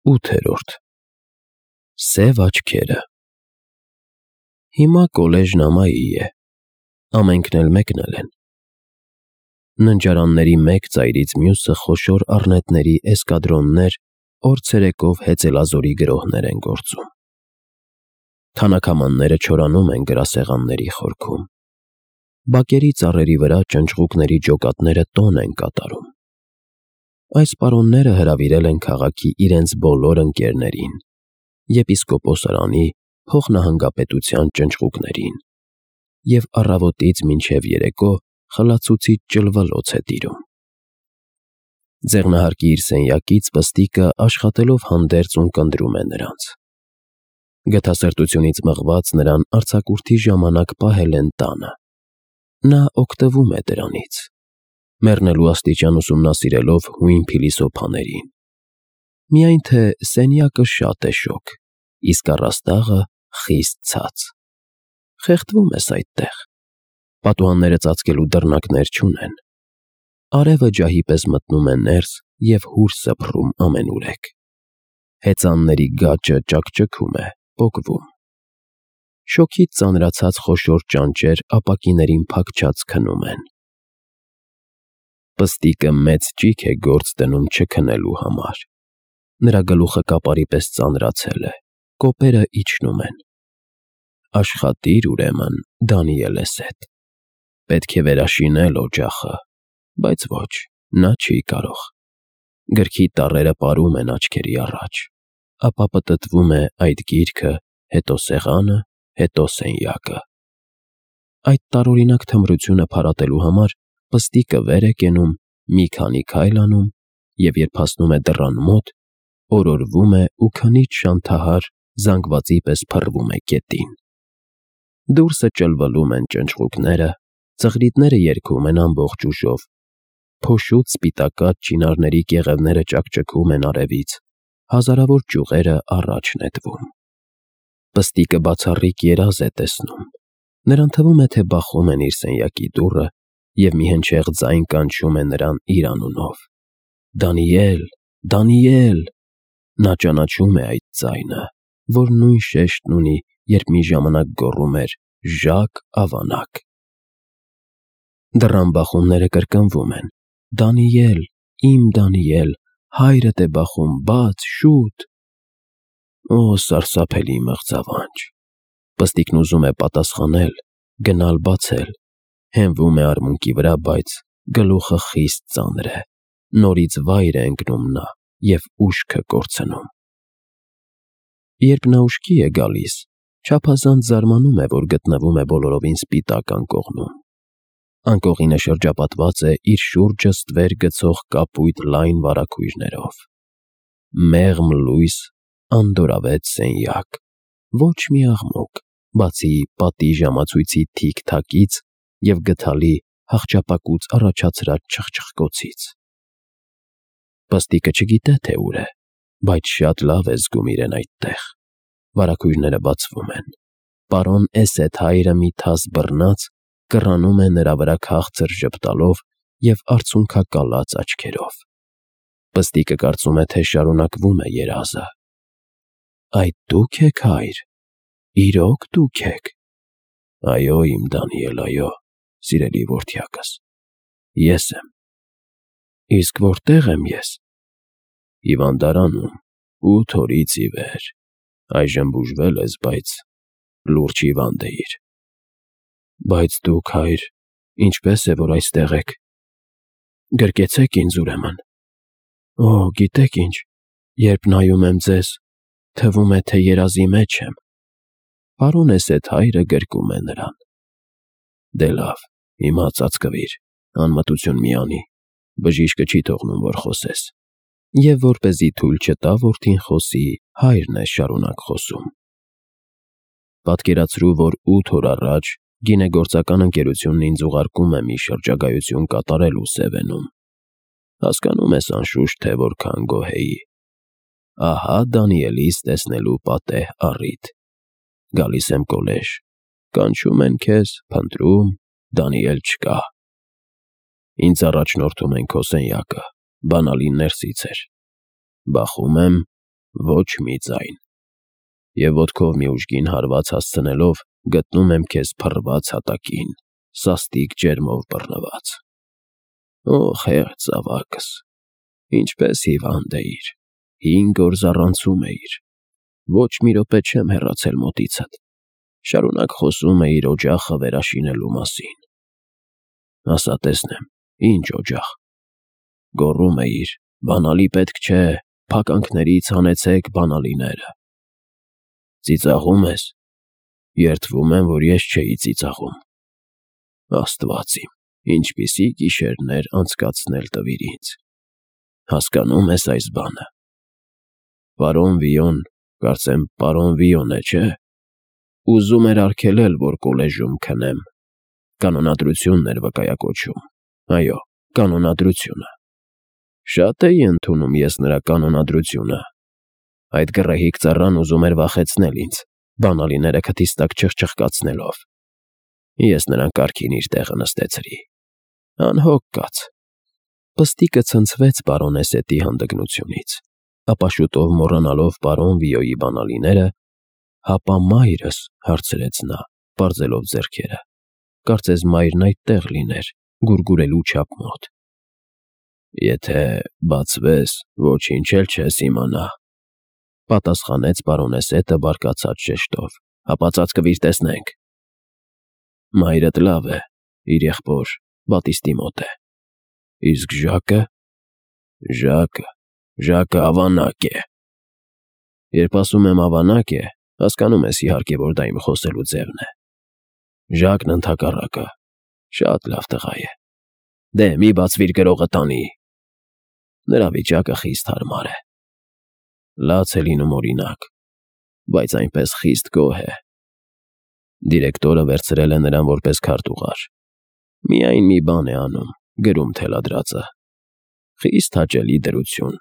8-րդ Սև աչքերը Հիմա կոլեժն ամայի է, ամենքն էլ մեկնել են։ Ննջարանների մեկ ծայրից մյուսը խոշոր առնետների էսկադրոններ օր ցերեկով հեծելազորի գրոհներ են գործում։ Թանաքամանները չորանում են գրասեղանների խորքում։ Բակերի ծառերի վրա ճնճղուկների ջոկատները տոն են կատարում։ Այս պարոնները հրավիրել են քաղաքի իրենց բոլոր ընկերներին, եպիսկոպոսարանի, փոխնահանգապետության ճնճղուկներին, և առավոտից մինչև երեկո խլացուցիչ ճլվլոց է տիրում։ Ձեղնահարկի իր սենյակից Պստիկը աշխատելով հանդերձ ունկնդրում է նրանց։ Գթասրտությունից մղված նրան արձակուրդի ժամանակ պահել են տանը։ Նա օգտվում է դրանից, մեռնելու աստիճան ուսումնասիրելով հույն փիլիսոփաներին։ Միայն թե սենյակը շատ է շոգ, իսկ առաստաղը խիստ ցած։ Խեղդվում ես այդտեղ։ Պատուհանները ծածկելու դռնակներ չունեն։ Արևը ջահի պես մտնում է ներս և հուր սփռում ամենուրեք։ Հեծանների գաճը ճաքճքում է, պոկվում։ Շոգից ծանրացած խոշոր ճանճեր ապակիներին փակչած քնում են։ Պստիկը մեծ ճիգ է գործ դնում չքնելու համար։ Նրա գլուխը կապարի պես ծանրացել է, կոպերը իջնում են։ Աշխատիր, ուրեմն, Դանիելես հետ։ Պետք է վերաշինել օջախը, բայց ոչ, նա չի կարող։ Գրքի տառերը պարում են աչքերի առաջ, ապա պտտվում է այդ գիրքը, հետո սեղանը, հետո սենյակը։ Այդ տարօրինակ թմրությունը փարատելու համար Պստիկը վեր է կենում, մի քանի քայլ անում և երբ հասնում է դռան մոտ, օրորվում է ու քնից շանթահար զանգվածի պես փռվում է գետին։ Դուրսը ճլվլում են ճնճղուկները, ծղրիդները երգում են ամբողջ ուժով, փոշուտ սպիտակած չինարների կեղևները ճաքճքում են արևից, հազարավոր ճյուղերը առաջ նետվում։ Պստիկը բացառիկ երազ է տեսնում։ Նրան թվում է, թե բախում են իր սենյակի դուռը և մի հնչեղ ձայն կանչում է նրան իր անունով. «Դանիել, Դանիել»։ Նա ճանաչում է այդ ձայնը, որ նույն շեշտն ունի, երբ մի ժամանակ գոռում էր «Ժակ ավանակ»։ Դռան բախումները կրկնվում են. «Դանիել, իմ Դանիել, հայրդ է բախում, բաց, շուտ»։ Օ, սարսափելի մղձավանջ։ Պստիկն ուզում է պատասխանել, գնալ բացել, հենվում է արմունկի վրա, բայց գլուխը խիստ ծանր է, նորից վայր է ընկնում նա և ուշքը կորցնում։ Երբ նա ուշքի է գալիս, չափազանց զարմանում է, որ գտնվում է բոլորովին սպիտակ անկողնում։ Անկողինը շրջապատված է իր շուրջը ստվեր գցող կապույտ լայն վարագույրներով։ Մեղմ լույս, անդորրավետ սենյակ, ոչ մի աղմուկ, բացի պատի ժամացույցի թիք-թակից և գդալի հախճապակուց առաջացրած չխչխկոցից։ Պստիկը չգիտե, թե ուր է, բայց շատ լավ է զգում իրեն այդտեղ։ Վարագույրները բացվում են։ Պարոն Էսեթ-հայրը մի թաս բռնած կռանում է նրա վրա քաղցր ժպտալով և արցունքակալած աչքերով։ Պստիկը կարծում է, թե շարունակվում է երազը։ Այդ դու՞ք եք, հայր, իրոք դուք եք։ Այո, իմ Դանիել, այո, սիրելի որդյակս, ես եմ։ Իսկ որտե՞ղ եմ ես։ Հիվանդարանում, 8 օրից ի վեր։ Այժմ բուժվել ես, բայց լուրջ հիվանդ էիր։ Բայց դուք, հայր, ինչպե՞ս է, որ այստեղ եք։ Գրկեցեք ինձ, ուրեմն։ Օ, գիտեք ինչ, երբ նայում եմ ձեզ, թվում է, թե երազի մեջ եմ։ Պարոն Էսեթ-հայրը գրկում է նրան։ Դե լավ, հիմա ծածկվիր, անմտություն մի անի, բժիշկը չի թողնում, որ խոսես։ Եվ որպեսզի թույլ չտա որդին խոսի, հայրն է շարունակ խոսում։ Պատկերացրու, որ 8 օր առաջ գինեգործական ընկերությունն ինձ ուղարկում է մի շրջագայություն կատարելու Սևենում։ Հասկանում ես անշուշտ, թե որքան գոհ էի։ Ահա Դանիելիս տեսնելու պատեհ առիթ։ Գալիս եմ կոլեժ, կանչում են քեզ, փնտրում, Դանիել չկա։ Ինձ առաջնորդում են քո սենյակը, բանալին ներսից էր։ Բախում եմ, ոչ մի ձայն, և ոտքով մի ուժգին հարված հասցնելով գտնում եմ քեզ փռված հատակին, սաստիկ ջերմով բռնված։ Օ, խեղճ զավակս, ինչպես հիվանդ էիր, 5 օր զառանցում էիր, ոչ մի րոպե չեմ հեռացել մոտիցդ, շարունակ խոսում էիր օջախը վերաշինելու մասին։ Ասա տեսնեմ, ինչ օջախ։ Գոռում էիր, բանալի պետք չէ, փականքներից հանեցեք բանալիները։ Ծիծաղում ես։ Երդվում եմ, որ ես չէի ծիծաղում։ Աստված իմ, ինչպիսի գիշերներ անցկացնել տվիր ինձ։ Հասկանում ես այս բանը։ Պարոն Վիոն, կարծեմ պարոն Վիոն է, չէ՞։ Ուզում էր արգելել, որ կոլեժում քնեմ։ Կանոնադրությունն էր վկայակոչում։ Այո, կանոնադրությունը։ Շատ էի ընդունում ես նրա կանոնադրությունը։ Այդ գռեհիկ ծառան ուզում էր վախեցնել ինձ, բանալիները քթիս տակ չխչխկացնելով։ Ես նրան կարգին իր տեղը նստեցրի։ Անհոգ կաց։ Պստիկը ցնցվեց պարոնեսետի հանդգնությունից, ապա շուտով մոռանալով պարոն Վիոյի բանալիները, հապա մայրս, հարցրեց նա, պարզելով ձեռքերը, կարծես մայրն այդտեղ լիներ, գուրգուրելու չափ մոտ։ Եթե բացվես, ոչինչ էլ չես իմանա, պատասխանեց պարոնեսետը բարկացած շեշտով, հապա ծածկվիր տեսնենք։ Մայրդ լավ է, իր եղբոր Բատիստի մոտ է։ Իսկ Ժակը։ Ժակը ավանակ է։ Երբ ասում եմ ավանակ է, հասկանում ես իհարկե, որ դա իմ խոսելու ձևն է։ Ժակն ընդհակառակը շատ լավ տղա է։ Դե մի բացվիր գրողը տանի։ Նրա վիճակը խիստ հարմար է։ Լաց է լինում օրինակ, բայց այնպես խիստ գոհ է։ Դիրեկտորը վերցրել է նրան որպես քարտուղար։ Միայն մի բան է անում, գրում թելադրածը։ Խիստ հաճելի դրություն։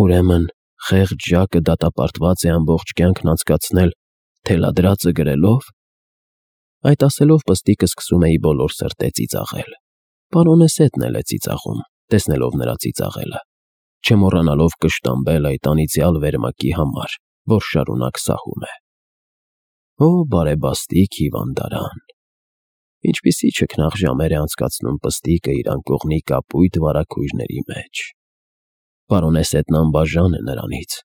Ուրեմն խեղճ Ժակը դատապարտված է ամբողջ կյանքն անցկացնել թելադրածը գրելով։ Այդ ասելով պստիկը սկսում էի բոլոր սրտե ծիծաղել։ Պարոնեսետն էլ է ծիծաղում, տեսնելով նրա ծիծաղելը, չմոռանալով կշտամբել այդ անիծյալ վերմակի համար, որ շարունակ սահում է։ Օ, բարեբաստիկ հիվանդարան։ Ինչպիսի չքնաղ ժամեր է անցկացնում պստիկը իր անկողնի կապույտ վարագույրների մեջ։ Պարոնեսետն անբաժան է նրանից,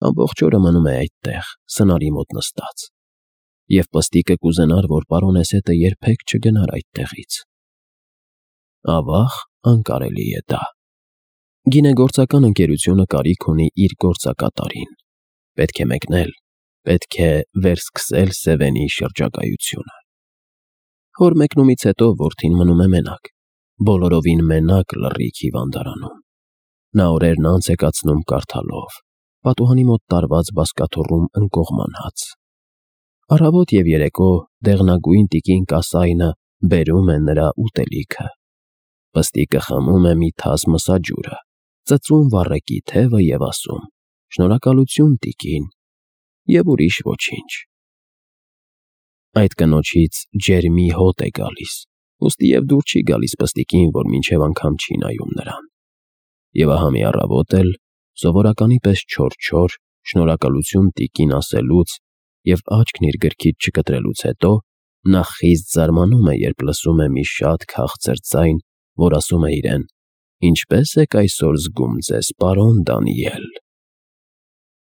ամբողջ օրը մնում է այդտեղ, սնարի մոտ նստած։ Եվ պստիկը կուզենար, որ պարոնեսետը երբեք չգնար այդտեղից։ Ավաղ անկարելի է դա։ Գինեգործական ընկերությունը կարիք ունի իր գործակատարին։ Պետք է մեկնել, պետք է վերսկսել Սևենի շրջագայությունը։ Հոր մեկնումից հետո որդին մնում է մենակ, բոլորովին մենակ լռիկ հիվանդարանում։ Նա օրերն անց է կացնում կարդալով, պատուհանի մոտ տարված բազկաթոռում ընկողման հաց։ Առավոտ և երեկո դեղնագույն տիկին Կասայնը բերում է նրա ուտելիքը։ Պստիկը խմում է մի թաս մսաջուրը, ծծում վառեկի թևը և ասում. «Շնորհակալություն, տիկին», և ուրիշ ոչինչ։ Այդ կնոջից ջերմի հոտ է գալիս, ուստի և դուր չի գալիս պստիկին, որ մինչև անգամ չի նայում նրան։ Եվ ահա մի առավոտ էլ, սովորականի պես չոր, շնորհակալություն տիկին ասելուց և աչքն իր գրքից չկտրելուց հետո, նա խիստ զարմանում է, երբ լսում է մի շատ քաղցր ձայն, որ ասում է իրեն. «Ինչպե՞ս եք այսօր զգում ձեզ, պարոն Դանիել»։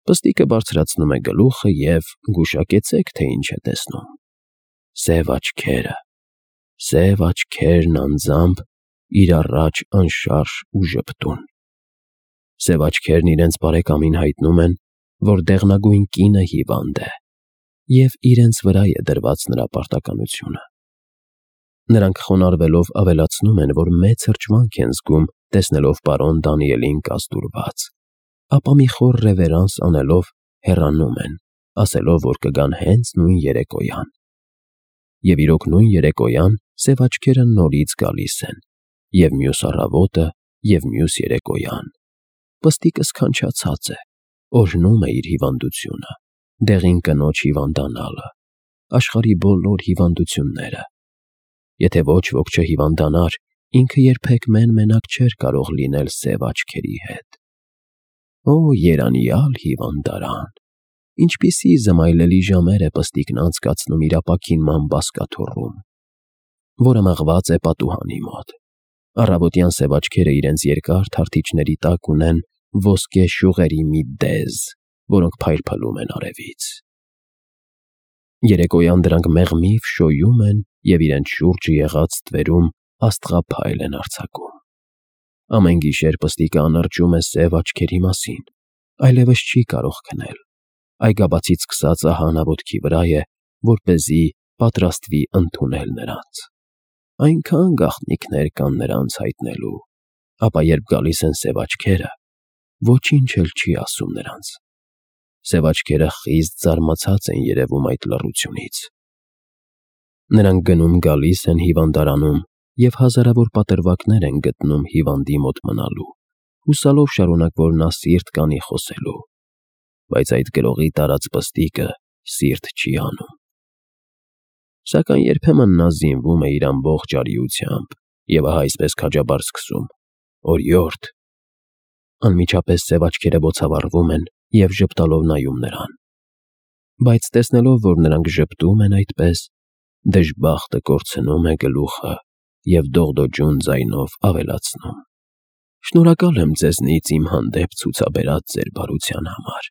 Պստիկը բարձրացնում է գլուխը և գուշակեցեք, թե ինչ է տեսնում։ Սև աչքերն անձամբ իր առաջ անշարժ ու ժպտուն։ Սև աչքերն իրենց բարեկամին հայտնում են, որ դեղնագույն կինը հիվանդ է, և իրենց վրա է դրված նրա պարտականությունը։ Նրանք խոնարհվելով ավելացնում են, որ մեծ հրճվանք են զգում, տեսնելով պարոն Դանիելին կազդուրված, ապա մի խոր ռևերանս անելով հեռանում են, ասելով, որ կգան հենց նույն երեկոյան։ Եվ իրոք նույն երեկոյան սև աչքերը նորից գալիս են, և մյուս առավոտը, և մյուս երեկոյան։ Պստիկը սքանչացած է, օրհնում է իր հիվանդությունը, դեղին կնոջ հիվանդանալը, աշխարհի բոլոր հիվանդությունները։ Եթե ոչ ոք չհիվանդանար, ինքը երբեք մեն֊մենակ չէր կարող լինել սև աչքերի հետ։ Օ, երանյալ հիվանդարան, ինչպիսի զմայլելի ժամեր է պստիկն անցկացնում իր ապաքինման բազկաթոռում, որը մղված է պատուհանի մոտ։ Առավոտյան սև աչքերը իրենց երկար թարթիչների տակ ունեն ոսկե շյուղերի մի դեզ, որոնք փայլփլում են արևից։ Երեկոյան դրանք մեղմիվ շոյում են և իրենց շուրջը եղած ստվերում աստղափայլ են արձակում։ Ամեն գիշեր պստիկը անրջում է սև աչքերի մասին, այլևս չի կարող քնել, այգաբացից սկսած ահանաոտքի վրա է, որպեսզի պատրաստվի ընդունել նրանց։ Այնքան գաղտնիքներ կան նրանց հայտնելու, ապա երբ գալիս են սև աչքերը, ոչինչ էլ չի ասում նրանց։ Սև աչքերը խիստ զարմացած են երևում այդ լռությունից։ Նրանք գնում-գալիս են հիվանդարանում և հազարավոր պատրվակներ են գտնում հիվանդի մոտ մնալու, հուսալով շարունակ, որ նա սիրտ կանի խոսելու, բայց այդ գրողի տարած պստիկը սիրտ չի անում։ Սակայն երբեմն նա զինվում է իր ամբողջ արիությամբ և ահա այսպես քաջաբար սկսում. «Օրիորդ»։ Անմիջապես սև աչքերը բոցավառվում են և ժպտալով նայում նրան։ Բայց տեսնելով, որ նրանք ժպտում են այդպես, դժբախտը կորցնում է գլուխը և դողդոջուն ձայնով ավելացնում. «Շնորհակալ եմ ձեզնից իմ հանդեպ ցուցաբերած ձեր բարության համար,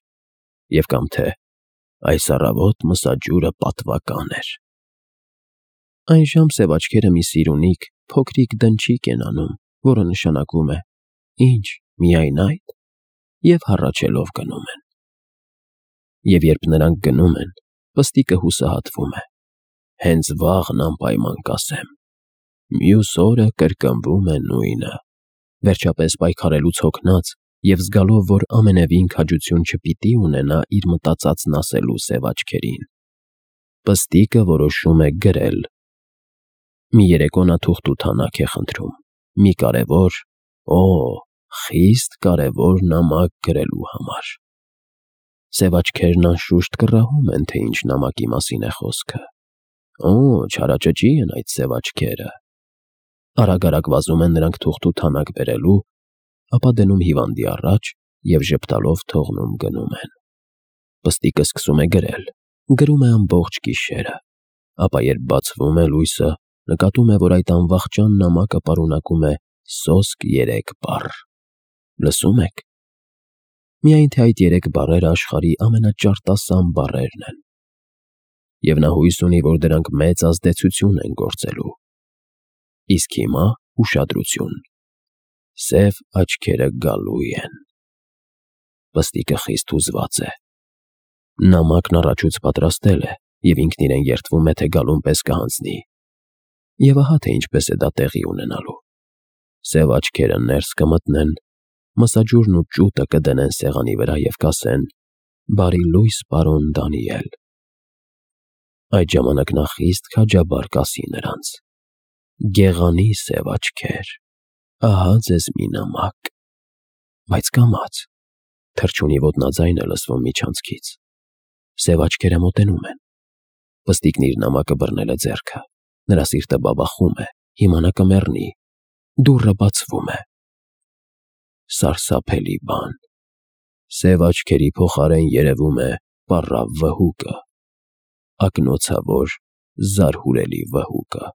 և կամ թե այս առավոտ մսաջուրը պատվական էր»։ Այնժամ սև աչքերը մի սիրունիկ, փոքրիկ դնչիկ են անում, որը նշանակում է. «Ինչ, միայն այդ», և հառաչելով գնում են։ Եվ երբ նրանք գնում են, պստիկը հուսահատվում է. «Հենց վաղն անպայման կասեմ, մյուս օրը կրկնվում է նույնը»։ Վերջապես պայքարելուց հոգնած և զգալով, որ ամենևին քաջություն չպիտի ունենա իր մտածածն ասելու սև աչքերին, պստիկը որոշում է գրել։ Մի երեկո նա թուղթ ու թանակ է խնդրում, մի կարևոր, խիստ կարևոր նամակ գրելու համար։ Սև աչքերն անշուշտ կռահում են, թե ինչ նամակի մասին է խոսքը։ Չարաճճի են այդ սև աչքերը։ Արագ-արագ վազում են նրանք թուղթ ու թանակ բերելու, ապա դնում հիվանդի առաջ և ժպտալով թողնում գնում են։ Պստիկը սկսում է գրել, գրում է ամբողջ գիշերը, ապա երբ բացվում է լույսը, նկատում է, որ այդ անվախճան նամակը պարունակում է սոսկ 3 բառ։ Լսում եք։ Միայն թե այդ 3 բառերը աշխարհի ամենաճարտասան բառերն են։ Եվ նա հույս ունի, որ դրանք մեծ ազդեցություն են գործելու։ Իսկ հիմա ուշադրություն. սև աչքերը գալու են։ Պստիկը խիստ հուզված է։ Նամակն առաջուց պատրաստել է և ինքն իրեն երդվում է, թե գալուն պես կհանձնի։ Եվ ահա թե ինչպես է դա տեղի ունենալու։ Սև աչքերը ներս կմտնեն, մսաջուրն ու ճուտը կդնեն սեղանի վրա և կասեն. «Բարի լույս, պարոն Դանիել»։ Այդ ժամանակ նա խիստ քաջաբար կասի նրանց. «Գեղանի սև աչքեր, ահա ձեզ մի նամակ»։ Բայց կամաց, թռչունի ոտնաձայն է լսվում միջանցքից։ Սև աչքերը մոտենում են։ Պստիկն իր նամակը բռնել է ձեռքը։ Նրա սիրտը բաբախում է, հիմա նա կմեռնի։ Դուռը բացվում է։ Սարսափելի բան։ Սև աչքերի փոխարեն երևում է պառավ վհուկը, ակնոցավոր, զարհուրելի վհուկը։